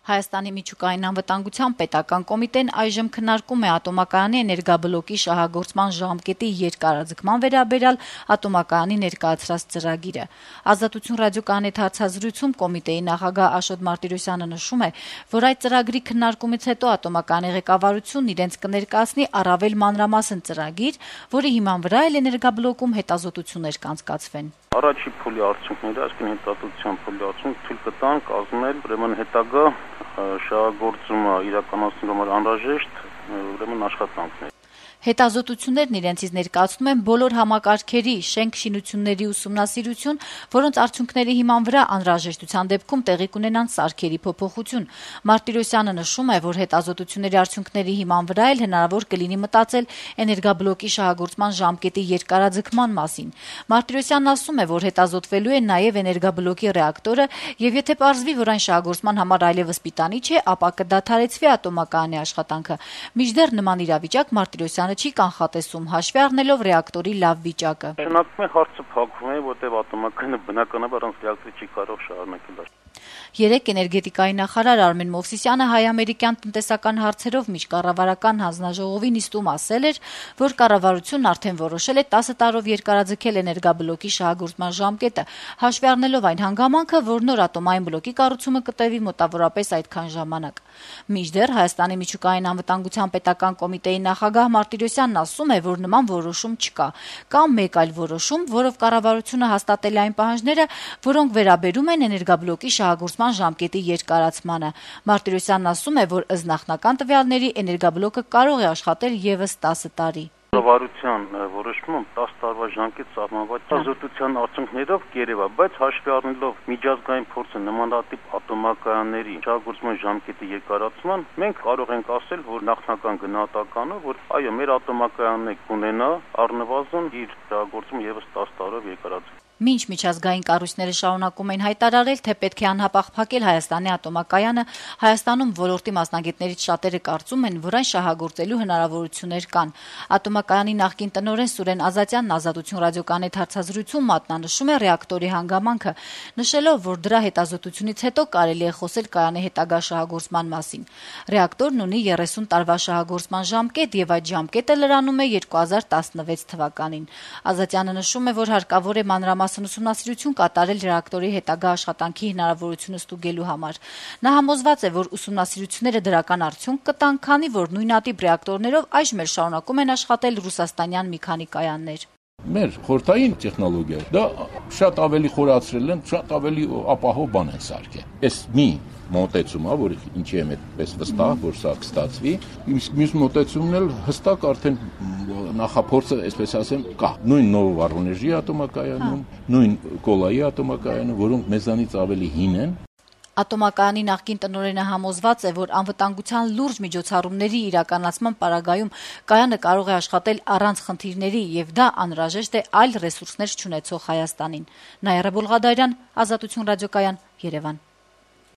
Հայաստանի միջուկային անվտանգության պետական կոմիտեն այժմ քննարկում է ատոմակայանի էներգաբլոկի շահագործման ժամկետի երկարաձգման վերաբերյալ ատոմակայանի ներկայացրած ծրագիրը։ Ազատություն ռադիոկայանի հետ հարցազրույցում կոմիտեի նախագահ Աշոտ Մարտիրոսյանը նշում է, որ այդ ծրագրի քննարկումից հետո ատոմակայանի ղեկավարությունն իրենց կներկայացնի առավել մանրամասն ծրագիր, որի հիման վրա էլ էներգաբլոկում հետազոտություններ կանցկացվեն։ Առաջի փուլի արդյունքները, այսինքն հետազոտության փուլի արդյունքը թույլ կտան կազմել ուրեմն հետագա շահագործումը իրականացնելու համար անհրաժեշտ ուրեմն աշխատանքներ։ Հետազոտություններն իրենցից ներկայացնում են բոլոր համակարգերի, շենք-շինությունների ուսումնասիրություն, որոնց արդյունքների հիման վրա անհրաժեշտության դեպքում տեղի կունենան սարքերի փոփոխություն։ Մարտիրոսյանը նշում է, որ հետազոտությունների արդյունքների հիման վրա էլ հնարավոր կլինի մտածել էներգաբլոկի շահագործման ժամկետի երկարաձգման մասին։ Մարտիրոսյանն ասում է, որ հետազոտվելու է նաև էներգաբլոկի ռեակտորը, եւ եթե պարզվի, որ այն շահագործման համար այլևս պիտանի չէ, ապա կդադարեցվի ատոմակայանի աշխատանքը։ Մինչդեռ նման իրավիճակ Մարտիրոսյանը չի կանխատեսում, հաշվի առնելով ռեակտորի լավ վիճակը։ Շնորհակալ եմ, հարցը փակվում է, որտեղ ատոմակայանը բնականաբար առանց ռեակտորի չի կարող շարունակել։ Երեկ էներգետիկայի նախարար Արմեն Մովսիսյանը հայ-ամերիկյան տնտեսական հարցերով միջկառավարական հանձնաժողովի նիստում ասել էր, որ կառավարությունն արդեն որոշել է 10 տարով երկարաձգել էներգաբլոկի շահագործման ժամկետը, հաշվի առնելով այն հանգամանքը, որ նոր ատոմային բլոկի կառուցումը կտևի մոտավորապես այդքան ժամանակ։ Մինչդեռ Հայաստանի միջուկային անվտանգության պետական կոմիտեի նախագահ Մարտիրոսյանն ասում է, որ նման որոշում չկա, կամ մեկ այլ որոշում, որով կառավարությունը հաստատել է այն պահանջները, որոնք վերաբերում են էներգաբլոկի շահագործման ժամկետի երկարացմանը։ Մարտիրոսյանն ասում է, որ ըստ նախնական տվյալների էներգաբլոկը կարող է աշխատել եւս 10 տարի։ Կառավարության որոշումը 10 տարվա ժամկետ սահմանված հետազոտության արդյունքներով կերևա, բայց հաշվի առնելով միջազգային փորձը նմանատիպ ատոմակայանների շահագործման ժամկետի երկարացման, մենք կարող ենք ասել, որ նախնական գնահատականը, որ այո, մեր ատոմակայանն կունենա առնվազն իր շահագործումը եւս 10 տարով երկարացում։ Մինչ միջազգային կառույցները շարունակում են հայտարարել, թե պետք է անհապաղ փակել Հայաստանի ատոմակայանը, Հայաստանում ոլորտի մասնագետներից շատերը կարծում են, որ այն շահագործելու հնարավորություններ կան։ Ատոմակայանի նախկին տնօրեն Սուրեն Ազատյանն Ազատություն ռադիոկայանի հետ հարցազրույցում մատնանշում է ռեակտորի հանգամանքը, նշելով, որ դրա հետազոտությունից հետո կարելի է խոսել կայանի հետագա շահագործման մասին։ Ռեակտորն ունի 30 տարվա շահագործման ժամկետ եւ այդ ժամկետը լրանում է 2016 թվականին։ Ազատյանը նշում է, որ հարկավոր է մանրամասն ուսումնասիրություն կատարել ռեակտորի հետագա աշխատանքի հնարավորությունը ստուգելու համար։ Նա համոզված է, որ ուսումնասիրությունները դրական արդյունք կտան, քանի որ նույնատիպ ռեակտորներով այժմ էլ շարունակում են աշխատել ռուսաստանյան մի քանի կայաններ։ Մեր խորհրդային տեխնոլոգիա դա շատ ավելի խորացրել են, շատ ավելի ապահով բան են սարքել։ Այս մի մոտեցումը, որ ինչի եմ այդպես վստահ, որ սա կստացվի, մյուս մոտեցումն էլ հստակ արդեն նախափորձը, այսպես ասեմ, կա։ Նույն Նովովոռոնեժի ատոմակայանում, նույն Կոլայի ատոմակայանում, որոնք մեզանից ավելի հին են։ Ատոմակայանի նախկին տնօրենը համոզված է, որ անվտանգության լուրջ միջոցառումների իրականացման պարագայում կայանը կարող է աշխատել առանց խնդիրների եւ դա անհրաժեշտ է այլ ռեսուրսներ չունեցող Հայաստանին։ Նաիրա Բոլղադարյան, Ազատություն ռադիոկայան, Երևան։